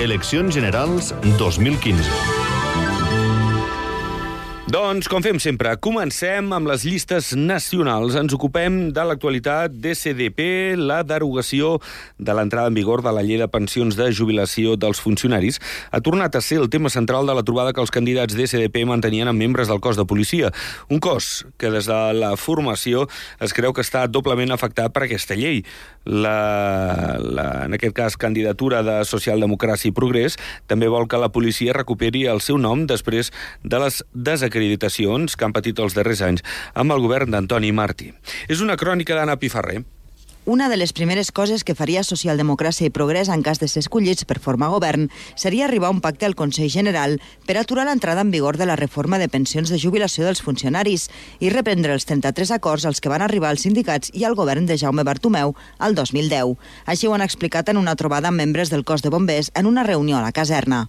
Eleccions Generals 2015. Doncs, com fem sempre, comencem amb les llistes nacionals. Ens ocupem de l'actualitat d'ESDP, la derogació de l'entrada en vigor de la llei de pensions de jubilació dels funcionaris. Ha tornat a ser el tema central de la trobada que els candidats d'ESDP mantenien amb membres del cos de policia. Un cos que des de la formació es creu que està doblement afectat per aquesta llei. En aquest cas, candidatura de Socialdemocràcia i Progrés també vol que la policia recuperi el seu nom després de les desacreditacions que han patit els darrers anys amb el govern d'Antoni Martí. És una crònica d'Anna Pifarré. Una de les primeres coses que faria Socialdemocràcia i Progrés en cas de ser escollits per formar govern seria arribar a un pacte al Consell General per aturar l'entrada en vigor de la reforma de pensions de jubilació dels funcionaris i reprendre els 33 acords als que van arribar els sindicats i el govern de Jaume Bartomeu al 2010. Així ho han explicat en una trobada amb membres del cos de bombers en una reunió a la caserna.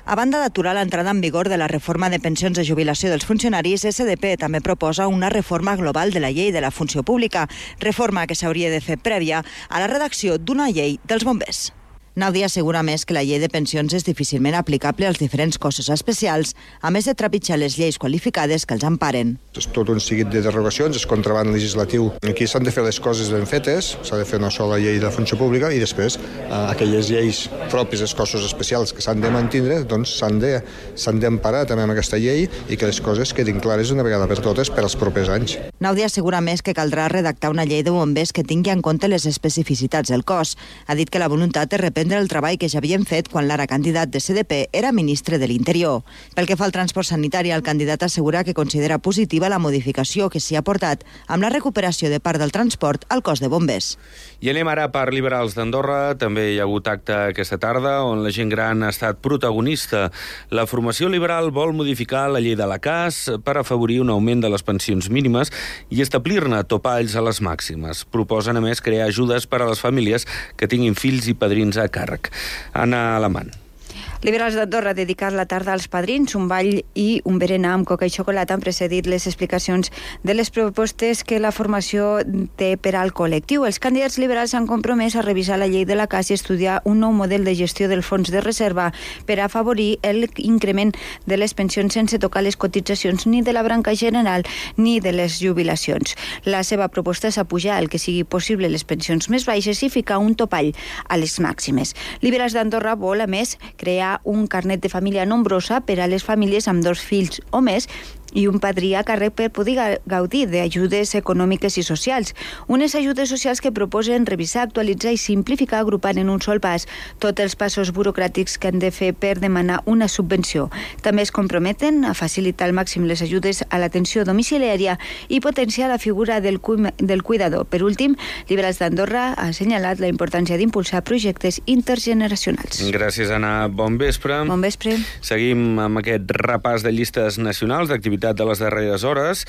A banda d'aturar l'entrada en vigor de la reforma de pensions de jubilació dels funcionaris, SDP també proposa una reforma global de la llei de la funció pública, reforma que s'hauria de fer prèvia a la redacció d'una llei dels bombers. Nàudia assegura més que la llei de pensions és difícilment aplicable als diferents cossos especials, a més de trepitjar les lleis qualificades que els emparen. És tot un seguit de derogacions, és contraband legislatiu. Aquí s'han de fer les coses ben fetes, s'ha de fer una sola llei de la funció pública i després aquelles lleis pròpies dels cossos especials que s'han de mantindre, doncs s'han d'emparar també amb aquesta llei i que les coses quedin clares una vegada per totes per als propers anys. Nàudia assegura més que caldrà redactar una llei de bombers que tingui en compte les especificitats del cos. Ha dit que la voluntat és reprendre el treball que ja havien fet quan l'ara candidat de SDP era ministre de l'Interior. Pel que fa al transport sanitari, el candidat assegura que considera positiva la modificació que s'hi ha portat amb la recuperació de part del transport al cos de bombers. I anem ara per Liberals d'Andorra. També hi ha hagut acte aquesta tarda on la gent gran ha estat protagonista. La formació liberal vol modificar la llei de la CAS per afavorir un augment de les pensions mínimes i establir-ne topalls a les màximes. Proposen, a més, crear ajudes per a les famílies que tinguin fills i padrins a càrrec. Anna Alamant. Liberals d'Andorra ha dedicat la tarda als padrins, un ball i un berenar amb coca i xocolata han precedit les explicacions de les propostes que la formació té per al col·lectiu. Els candidats liberals s'han compromès a revisar la llei de la CAS i estudiar un nou model de gestió del fons de reserva per afavorir l'increment de les pensions sense tocar les cotitzacions ni de la branca general ni de les jubilacions. La seva proposta és apujar el que sigui possible les pensions més baixes i ficar un topall a les màximes. Liberals d'Andorra vol, a més, crear un carnet de família nombrosa per a les famílies amb 2 fills o més i un padrí a càrrec per poder gaudir d'ajudes econòmiques i socials. Unes ajudes socials que proposen revisar, actualitzar i simplificar agrupant en un sol pas tots els passos burocràtics que han de fer per demanar una subvenció. També es comprometen a facilitar al màxim les ajudes a l'atenció domiciliària i potenciar la figura del cuidador. Per últim, Liberals d'Andorra ha assenyalat la importància d'impulsar projectes intergeneracionals. Gràcies, Anna. Bon vespre. Bon vespre. Seguim amb aquest repàs de llistes nacionals d'activitats de les darreres hores.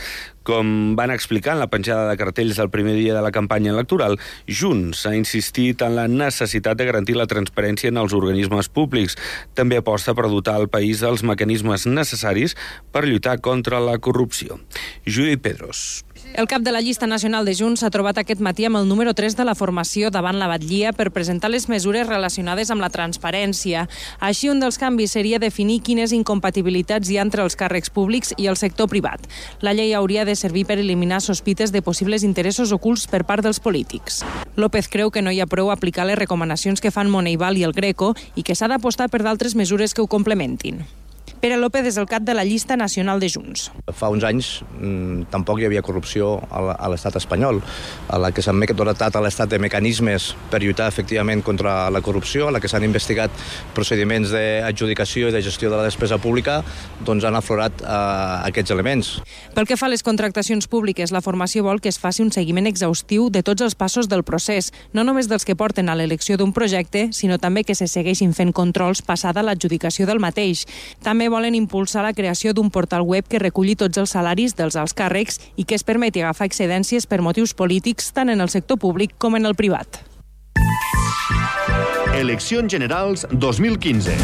Com van explicar en la penjada de cartells del primer dia de la campanya electoral, Junts ha insistit en la necessitat de garantir la transparència en els organismes públics. També aposta per dotar el país dels mecanismes necessaris per lluitar contra la corrupció. Judit Pedros. El cap de la llista nacional de Junts s'ha trobat aquest matí amb el número 3 de la formació davant la batllia per presentar les mesures relacionades amb la transparència. Així, un dels canvis seria definir quines incompatibilitats hi ha entre els càrrecs públics i el sector privat. La llei hauria de servir per eliminar sospites de possibles interessos ocults per part dels polítics. López creu que no hi ha prou aplicar les recomanacions que fan Moneival i el Greco i que s'ha d'apostar per d'altres mesures que ho complementin. Pere López és el cap de la llista nacional de Junts. Fa uns anys tampoc hi havia corrupció a l'estat espanyol, a la que s'han dotat a l'estat de mecanismes per lluitar efectivament contra la corrupció, a la que s'han investigat procediments d'adjudicació i de gestió de la despesa pública, doncs han aflorat aquests elements. Pel que fa a les contractacions públiques, la formació vol que es faci un seguiment exhaustiu de tots els passos del procés, no només dels que porten a l'elecció d'un projecte, sinó també que se segueixin fent controls passada l'adjudicació del mateix. També volen impulsar la creació d'un portal web que reculli tots els salaris dels alts càrrecs i que es permeti agafar excedències per motius polítics tant en el sector públic com en el privat. Eleccions Generals 2015.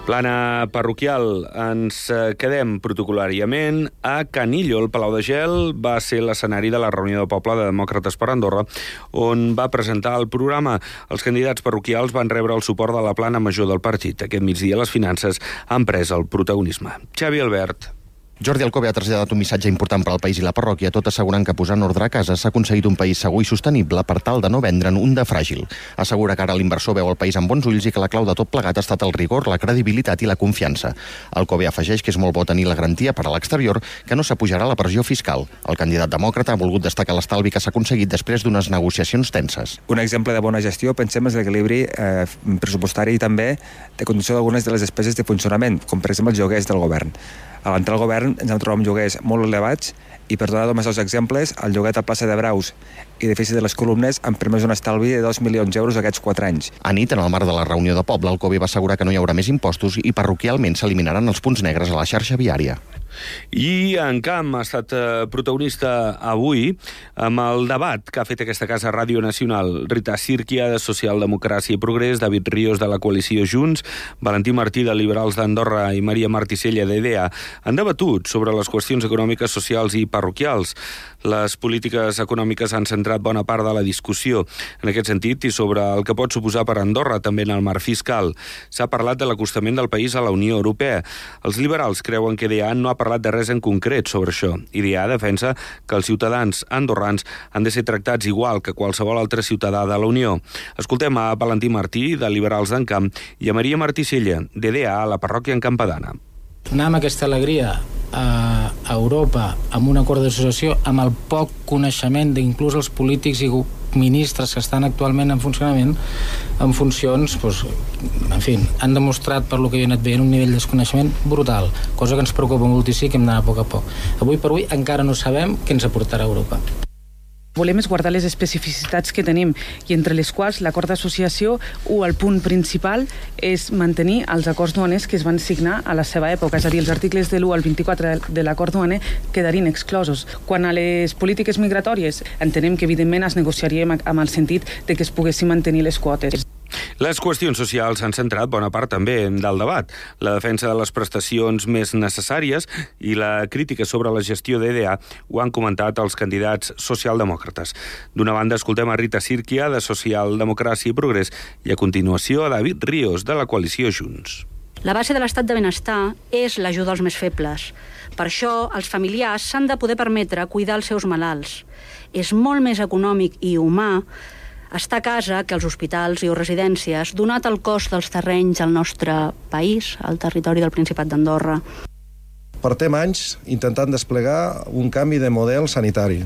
Plana parroquial, ens quedem protocol·làriament a Canillo. El Palau de Gel va ser l'escenari de la reunió de poble de Demòcrates per Andorra, on va presentar el programa. Els candidats parroquials van rebre el suport de la plana major del partit. Aquest migdia les finances han pres el protagonisme. Xavi Albert. Jordi Alcobe ha traslladat un missatge important per al país i la parròquia, tot assegurant que posant ordre a casa s'ha aconseguit un país segur i sostenible per tal de no vendre'n un de fràgil. Assegura que ara l'inversor veu el país amb bons ulls i que la clau de tot plegat ha estat el rigor, la credibilitat i la confiança. Alcobe afegeix que és molt bo tenir la garantia per a l'exterior que no s'apujarà la pressió fiscal. El candidat demòcrata ha volgut destacar l'estalvi que s'ha aconseguit després d'unes negociacions tenses. Un exemple de bona gestió, pensem, és l'equilibri pressupostari i també de condició d'algunes de les despeses de funcionament, com per exemple els lloguers del govern. A l'entrar al govern ens hem trobat amb lloguers molt elevats i, per donar només els exemples, el lloguer a plaça de Braus i edifici de les Columnes han permès un estalvi de 2 milions d'euros aquests 4 anys. A nit, en el marc de la reunió de poble, Alcobe va assegurar que no hi haurà més impostos i parroquialment s'eliminaran els punts negres a la xarxa viària. I en Camp ha estat protagonista avui amb el debat que ha fet aquesta casa Ràdio Nacional. Rita Sírquia, de Socialdemocràcia i Progrés, David Ríos, de la coalició Junts, Valentí Martí, de Liberals d'Andorra i Maria Marticella, d'EDEA, han debatut sobre les qüestions econòmiques, socials i parroquials. Les polítiques econòmiques han centrat bona part de la discussió en aquest sentit i sobre el que pot suposar per Andorra també en el marc fiscal. S'ha parlat de l'acostament del país a la Unió Europea. Els liberals creuen que EDEA no ha parlat de res en concret sobre això. EDEA defensa que els ciutadans andorrans han de ser tractats igual que qualsevol altre ciutadà de la Unió. Escoltem a Valentí Martí, de Liberals d'Encamp, i a Maria Marticella, d'EDEA, a la parròquia Encampadana. Anar amb aquesta alegria a Europa amb un acord d'associació amb el poc coneixement d'inclús els polítics i ministres que estan actualment en funcionament en funcions, en fi, han demostrat per lo que jo he anat veient un nivell de desconeixement brutal, cosa que ens preocupa moltíssim, que hem d'anar a poc a poc. Avui per avui encara no sabem què ens aportarà Europa. Volem és guardar les especificitats que tenim i entre les quals l'acord d'associació o el punt principal és mantenir els acords duaners que es van signar a la seva època, és a dir, els articles de l'1 al 24 de l'acord duaner quedarien exclosos. Quan a les polítiques migratòries entenem que evidentment es negociaríem amb el sentit de que es poguessin mantenir les quotes. Les qüestions socials han centrat bona part també del debat. La defensa de les prestacions més necessàries i la crítica sobre la gestió d'EDEA ho han comentat els candidats socialdemòcrates. D'una banda, escoltem a Rita Sírquia, de Socialdemocràcia i Progrés, i a continuació a David Ríos, de la coalició Junts. La base de l'estat de benestar és l'ajuda als més febles. Per això, els familiars s'han de poder permetre cuidar els seus malalts. És molt més econòmic i humà estar a casa que als hospitals i residències, donat el cost dels terrenys al nostre país, al territori del Principat d'Andorra. Portem anys intentant desplegar un canvi de model sanitari.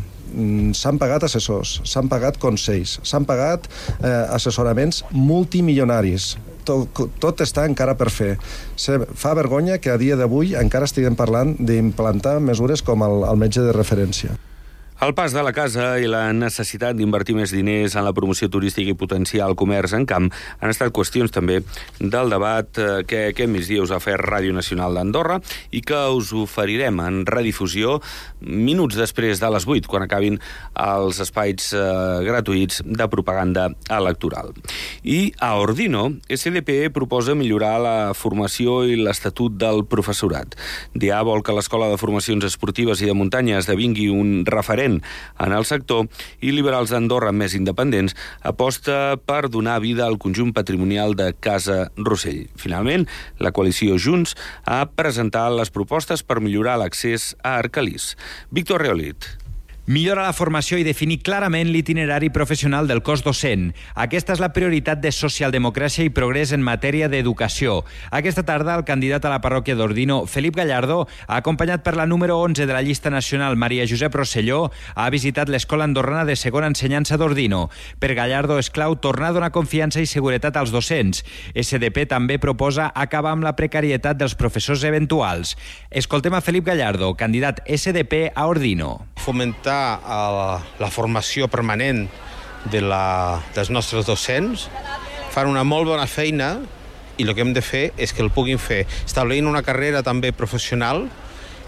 S'han pagat assessors, s'han pagat consells, s'han pagat assessoraments multimilionaris. Tot està encara per fer. Fa vergonya que a dia d'avui encara estiguem parlant d'implantar mesures com el metge de referència. El pas de la casa i la necessitat d'invertir més diners en la promoció turística i potenciar el comerç en camp han estat qüestions també del debat que aquest migdia us ha fet Ràdio Nacional d'Andorra i que us oferirem en redifusió minuts després de les 8, quan acabin els espais gratuïts de propaganda electoral. I a Ordino, SDP proposa millorar la formació i l'estatut del professorat. DA vol que l'Escola de Formacions Esportives i de Muntanya esdevingui un referent en el sector i Liberals d'Andorra, més independents, aposta per donar vida al conjunt patrimonial de Casa Rossell. Finalment, la coalició Junts ha presentat les propostes per millorar l'accés a Arcalís. Víctor Reolit. Millora la formació i definir clarament l'itinerari professional del cos docent. Aquesta és la prioritat de Socialdemocràcia i Progrés en matèria d'educació. Aquesta tarda, el candidat a la parròquia d'Ordino, Felip Gallardo, acompanyat per la número 11 de la llista nacional, Maria Josep Rosselló, ha visitat l'Escola Andorrana de Segona Ensenyança d'Ordino. Per Gallardo és clau tornar a donar confiança i seguretat als docents. SDP també proposa acabar amb la precarietat dels professors eventuals. Escoltem a Felip Gallardo, candidat SDP a Ordino. Fomentar la formació permanent dels nostres docents, fan una molt bona feina i el que hem de fer és que el puguin fer establint una carrera també professional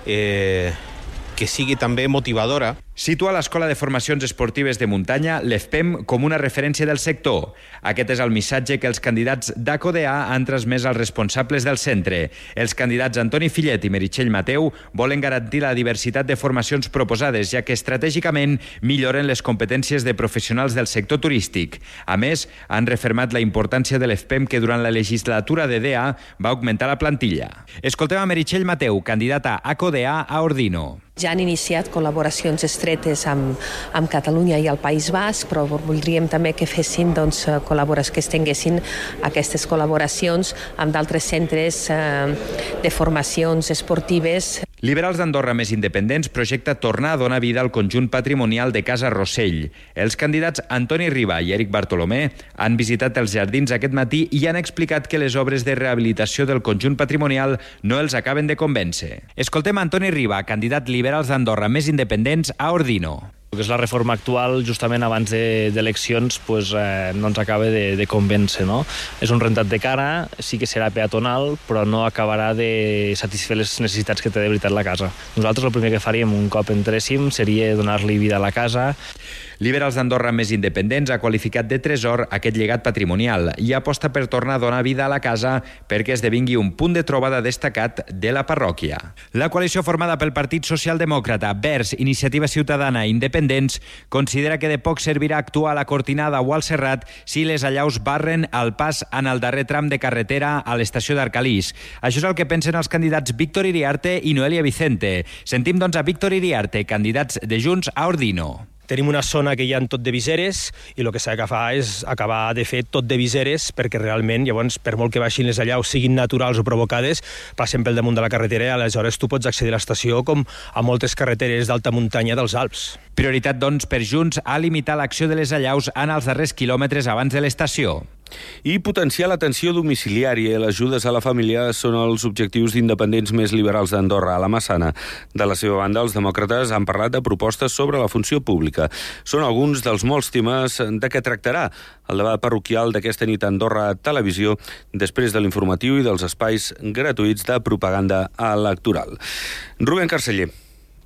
que sigui també motivadora. Situa l'Escola de Formacions Esportives de Muntanya, l'EFPEM, com una referència del sector. Aquest és el missatge que els candidats d'ACODA han transmès als responsables del centre. Els candidats Antoni Fillet i Meritxell Mateu volen garantir la diversitat de formacions proposades, ja que estratègicament milloren les competències de professionals del sector turístic. A més, han refermat la importància de l'EFPEM, que durant la legislatura de DEA va augmentar la plantilla. Escoltem a Meritxell Mateu, candidata a ACODA a Ordino. Ja han iniciat col·laboracions estretes amb Catalunya i el País Basc, però voldríem també que fessin que es tinguessin aquestes col·laboracions amb d'altres centres de formacions esportives. Liberals d'Andorra Més Independents projecta tornar a donar vida al conjunt patrimonial de Casa Rossell. Els candidats Antoni Riba i Eric Bartolomé han visitat els jardins aquest matí i han explicat que les obres de rehabilitació del conjunt patrimonial no els acaben de convèncer. Escoltem Antoni Riba, candidat Liberals d'Andorra Més Independents a Ordino. El que és la reforma actual, justament abans d'eleccions, no ens acaba de convèncer, no? És un rentat de cara, sí que serà peatonal, però no acabarà de satisfer les necessitats que té de veritat la casa. Nosaltres el primer que faríem un cop entréssim seria donar-li vida a la casa. Liberals d'Andorra Més Independents ha qualificat de tresor aquest llegat patrimonial i aposta per tornar a donar vida a la casa perquè esdevingui un punt de trobada destacat de la parròquia. La coalició formada pel Partit Socialdemòcrata, Verds, Iniciativa Ciutadana i Independents considera que de poc servirà actuar a la Cortinada o al Serrat si les allaus barren el pas en el darrer tram de carretera a l'estació d'Arcalís. Això és el que pensen els candidats Víctor Iriarte i Noelia Vicente. Sentim doncs a Víctor Iriarte, candidats de Junts a Ordino. Tenim una zona que hi ha tot de viseres i el que s'ha de fer és acabar de fer tot de viseres perquè realment, llavors, per molt que baixin les allaus, siguin naturals o provocades, passen pel damunt de la carretera i aleshores tu pots accedir a l'estació com a moltes carreteres d'alta muntanya dels Alps. Prioritat, doncs, per Junts a limitar l'acció de les allaus en els darrers quilòmetres abans de l'estació. I potenciar l'atenció domiciliària i les ajudes a la família són els objectius d'independents més liberals d'Andorra, a la Massana. De la seva banda, els demòcrates han parlat de propostes sobre la funció pública. Són alguns dels molts temes de què tractarà el debat parroquial d'aquesta nit a Andorra Televisió, després de l'informatiu i dels espais gratuïts de propaganda electoral. Rubén Carceller.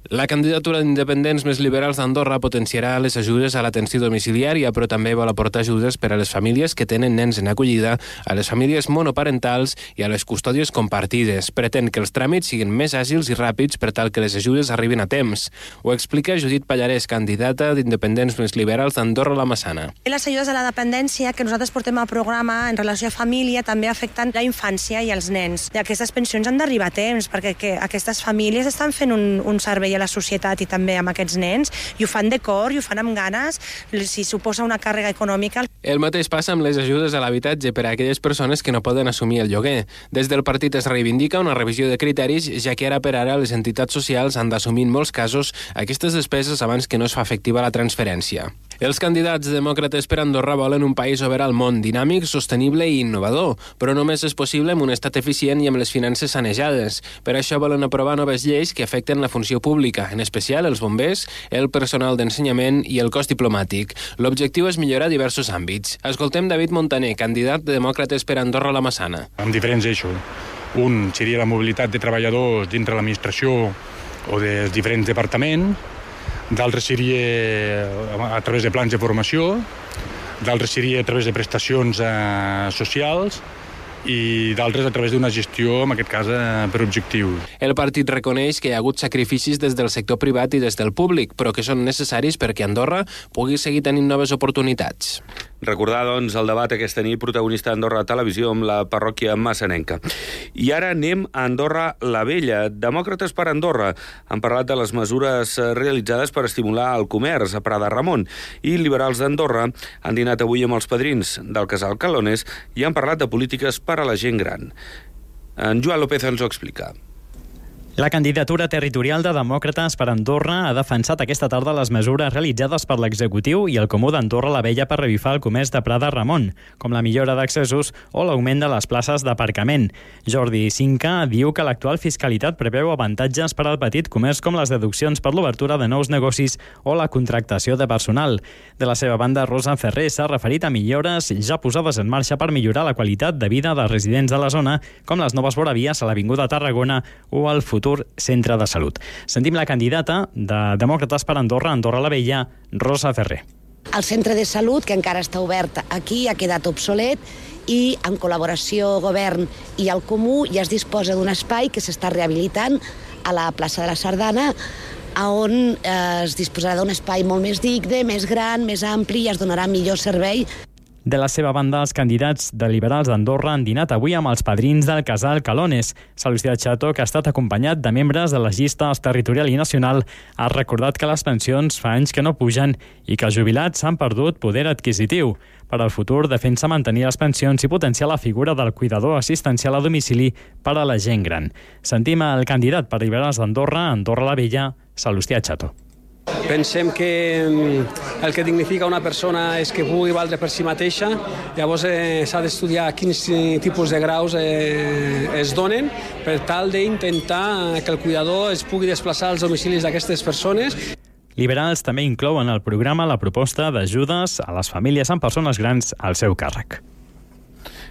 La candidatura d'independents més liberals d'Andorra potenciarà les ajudes a l'atenció domiciliària, però també vol aportar ajudes per a les famílies que tenen nens en acollida, a les famílies monoparentals i a les custòdies compartides. Pretén que els tràmits siguin més àgils i ràpids per tal que les ajudes arribin a temps. Ho explica Judit Pallarès, candidata d'independents més liberals d'Andorra la Massana. Les ajudes a la dependència que nosaltres portem al programa en relació a família també afecten la infància i els nens. I aquestes pensions han d'arribar a temps perquè aquestes famílies estan fent un servei a la societat i també amb aquests nens, i ho fan de cor, i ho fan amb ganes, si suposa una càrrega econòmica. El mateix passa amb les ajudes a l'habitatge per a aquelles persones que no poden assumir el lloguer. Des del partit es reivindica una revisió de criteris, ja que ara per ara les entitats socials han d'assumir en molts casos aquestes despeses abans que no es fa efectiva la transferència. Els candidats demòcrates per Andorra volen un país obert al món, dinàmic, sostenible i innovador, però només és possible amb un estat eficient i amb les finances sanejades. Per això volen aprovar noves lleis que afecten la funció pública, en especial els bombers, el personal d'ensenyament i el cos diplomàtic. L'objectiu és millorar diversos àmbits. Escoltem David Montaner, candidat de demòcrates per Andorra la Massana. Amb diferents eixos. Un seria la mobilitat de treballadors dintre l'administració o dels diferents departaments, d'altres seria a través de plans de formació, d'altres seria a través de prestacions socials i d'altres a través d'una gestió, en aquest cas, per objectius. El partit reconeix que hi ha hagut sacrificis des del sector privat i des del públic, però que són necessaris perquè Andorra pugui seguir tenint noves oportunitats. Recordar, doncs, el debat aquesta nit protagonista d'Andorra Televisió amb la parròquia massanenca. I ara anem a Andorra la Vella. Demòcrates per Andorra han parlat de les mesures realitzades per estimular el comerç a Prada Ramon, i liberals d'Andorra han dinat avui amb els padrins del casal Calones i han parlat de polítiques per a la gent gran. En Joan López ens ho explica. La candidatura territorial de Demòcrates per Andorra ha defensat aquesta tarda les mesures realitzades per l'executiu i el Comú d'Andorra la Vella per revifar el comerç de Prada Ramon, com la millora d'accessos o l'augment de les places d'aparcament. Jordi Cinca diu que l'actual fiscalitat preveu avantatges per al petit comerç com les deduccions per l'obertura de nous negocis o la contractació de personal. De la seva banda, Rosa Ferrer s'ha referit a millores ja posades en marxa per millorar la qualitat de vida dels residents de la zona, com les noves voravies a l'Avinguda Tarragona o el futur futur centre de salut. Sentim la candidata de Demòcrates per Andorra, Andorra la Vella, Rosa Ferrer. El centre de salut, que encara està obert aquí, ha quedat obsolet i en col·laboració govern i el Comú ja es disposa d'un espai que s'està rehabilitant a la plaça de la Sardana, on es disposarà d'un espai molt més digne, més gran, més ampli i es donarà millor servei. De la seva banda, els candidats de Liberals d'Andorra han dinat avui amb els padrins del casal Calones. Salustià Chato, que ha estat acompanyat de membres de les llistes territorial i nacional, ha recordat que les pensions fa anys que no pugen i que els jubilats s'han perdut poder adquisitiu. Per al futur, defensa mantenir les pensions i potenciar la figura del cuidador assistencial a domicili per a la gent gran. Sentim el candidat per Liberals d'Andorra, Andorra la Vella, Salustià Chato. Pensem que el que dignifica una persona és que pugui valdre per si mateixa. Llavors s'ha d'estudiar quins tipus de graus es donen per tal d'intentar que el cuidador es pugui desplaçar als domicilis d'aquestes persones. Liberals també inclouen al programa la proposta d'ajudes a les famílies amb persones grans al seu càrrec.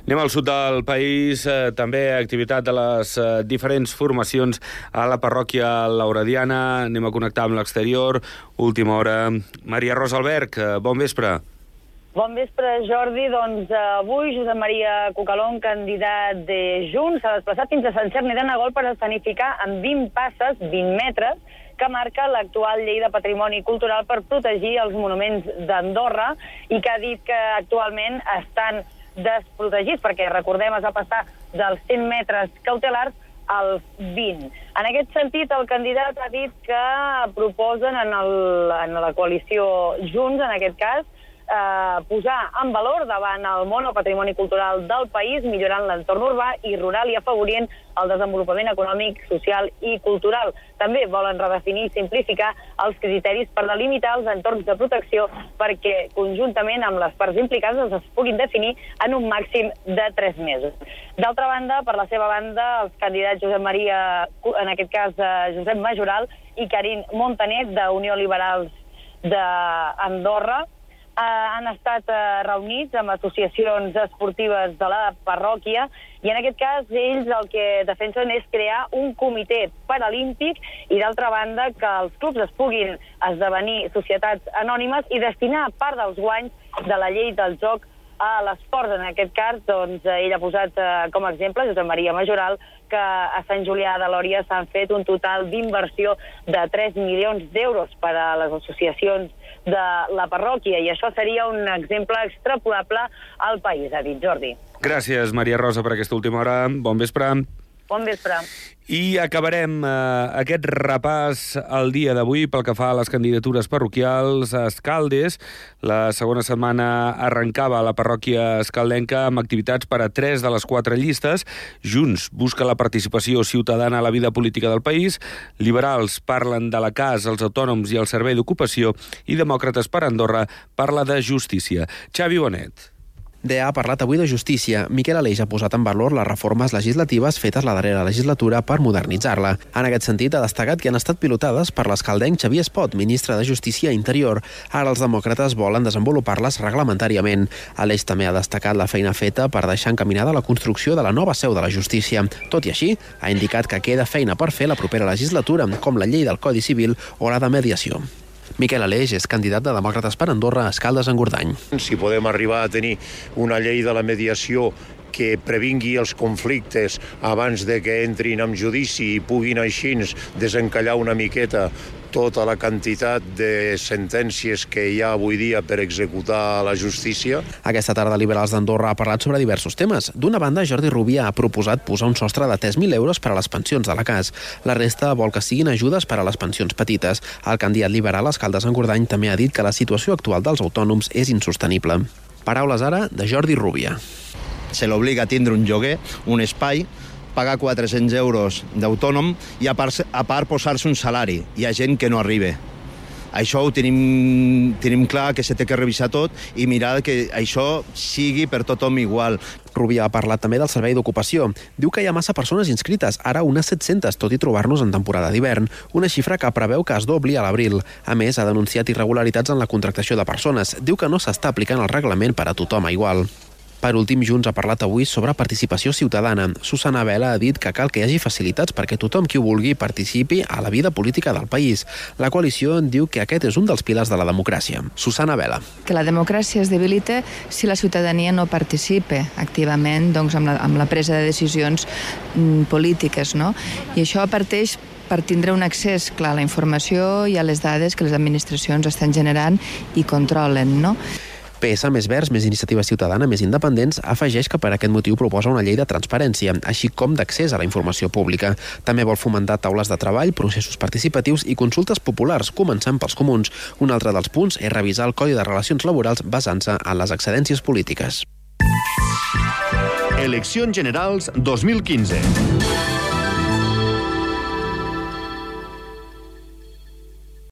Anem al sud del país, també activitat de les diferents formacions a la parròquia laurediana. Anem a connectar amb l'exterior. Última hora. Maria Rosa Alberg, bon vespre. Bon vespre, Jordi. Doncs avui Josep Maria Cucalón, candidat de Junts, s'ha desplaçat fins a Sant Cerny de Nagol per escenificar amb 20 passes, 20 metres, que marca l'actual llei de patrimoni cultural per protegir els monuments d'Andorra i que ha dit que actualment estan desprotegits, perquè, recordem, es va passar dels 100 metres cautelars als 20. En aquest sentit, el candidat ha dit que proposen en la coalició Junts, en aquest cas, posar en valor davant el món el patrimoni cultural del país, millorant l'entorn urbà i rural i afavorint el desenvolupament econòmic, social i cultural. També volen redefinir i simplificar els criteris per delimitar els entorns de protecció perquè, conjuntament amb les parts implicades, es puguin definir en un màxim de 3 mesos. D'altra banda, per la seva banda, els candidats Josep Maria, en aquest cas Josep Majoral, i Karin Montanet, d'Unió Liberals d'Andorra, han estat reunits amb associacions esportives de la parròquia i en aquest cas ells el que defensen és crear un comitè paralímpic i d'altra banda que els clubs es puguin esdevenir societats anònimes i destinar part dels guanys de la llei del joc a l'esport. En aquest cas, doncs, ell ha posat com a exemple, Josep Maria Majoral, que a Sant Julià de Lòria s'han fet un total d'inversió de 3 milions d'euros per a les associacions de la parròquia, i això seria un exemple extrapolable al país, ha dit Jordi. Gràcies, Maria Rosa, per aquesta última hora. Bon vespre. Bon vespre. I acabarem aquest repàs al dia d'avui pel que fa a les candidatures parroquials a Escaldes. La segona setmana arrencava a la parròquia escaldenca amb activitats per a 3 de les 4 llistes. Junts busca la participació ciutadana a la vida política del país. Liberals parlen de la CAS, els autònoms i el servei d'ocupació. I Demòcrates per Andorra parla de justícia. Xavi Bonet. DEA ha parlat avui de justícia. Miquel Aleix ha posat en valor les reformes legislatives fetes la darrera legislatura per modernitzar-la. En aquest sentit, ha destacat que han estat pilotades per l'escaldenc Xavier Espot, ministre de Justícia i Interior. Ara els demòcrates volen desenvolupar-les reglamentàriament. Aleix també ha destacat la feina feta per deixar encaminada la construcció de la nova seu de la justícia. Tot i així, ha indicat que queda feina per fer la propera legislatura, com la llei del Codi Civil o la de mediació. Miquel Aleix és candidat de Demòcrates per Andorra a Escaldes-Engordany. Si podem arribar a tenir una llei de la mediació que previngui els conflictes abans de que entrin en judici i puguin així desencallar una miqueta tota la quantitat de sentències que hi ha avui dia per executar la justícia. Aquesta tarda Liberals d'Andorra ha parlat sobre diversos temes. D'una banda, Jordi Rubia ha proposat posar un sostre de 3.000 euros per a les pensions de la CAS. La resta vol que siguin ajudes per a les pensions petites. El candidat liberal a Escaldes-Engordany també ha dit que la situació actual dels autònoms és insostenible. Paraules ara de Jordi Rubia. Se l'obliga a tindre un lloguer, un espai, pagar 400 euros d'autònom i a part posar-se un salari. Hi ha gent que no arriba. Això ho tenim clar, que s'ha de revisar tot i mirar que això sigui per tothom igual. Rubia ha parlat també del servei d'ocupació. Diu que hi ha massa persones inscrites, ara unes 700, tot i trobar-nos en temporada d'hivern, una xifra que preveu que es dobli a l'abril. A més, ha denunciat irregularitats en la contractació de persones. Diu que no s'està aplicant el reglament per a tothom igual. Per últim, Junts ha parlat avui sobre participació ciutadana. Susana Vela ha dit que cal que hi hagi facilitats perquè tothom qui ho vulgui participi a la vida política del país. La coalició diu que aquest és un dels pilars de la democràcia. Susana Vela. Que la democràcia es debilita si la ciutadania no participa activament amb la presa de decisions polítiques, no? I això parteix per tindre un accés clar a la informació i a les dades que les administracions estan generant i controlen, no? PS, Més Verds, Més Iniciativa Ciutadana, Més Independents, afegeix que per aquest motiu proposa una llei de transparència, així com d'accés a la informació pública. També vol fomentar taules de treball, processos participatius i consultes populars, començant pels comuns. Un altre dels punts és revisar el Codi de Relacions Laborals basant-se en les excedències polítiques. Eleccions Generals 2015.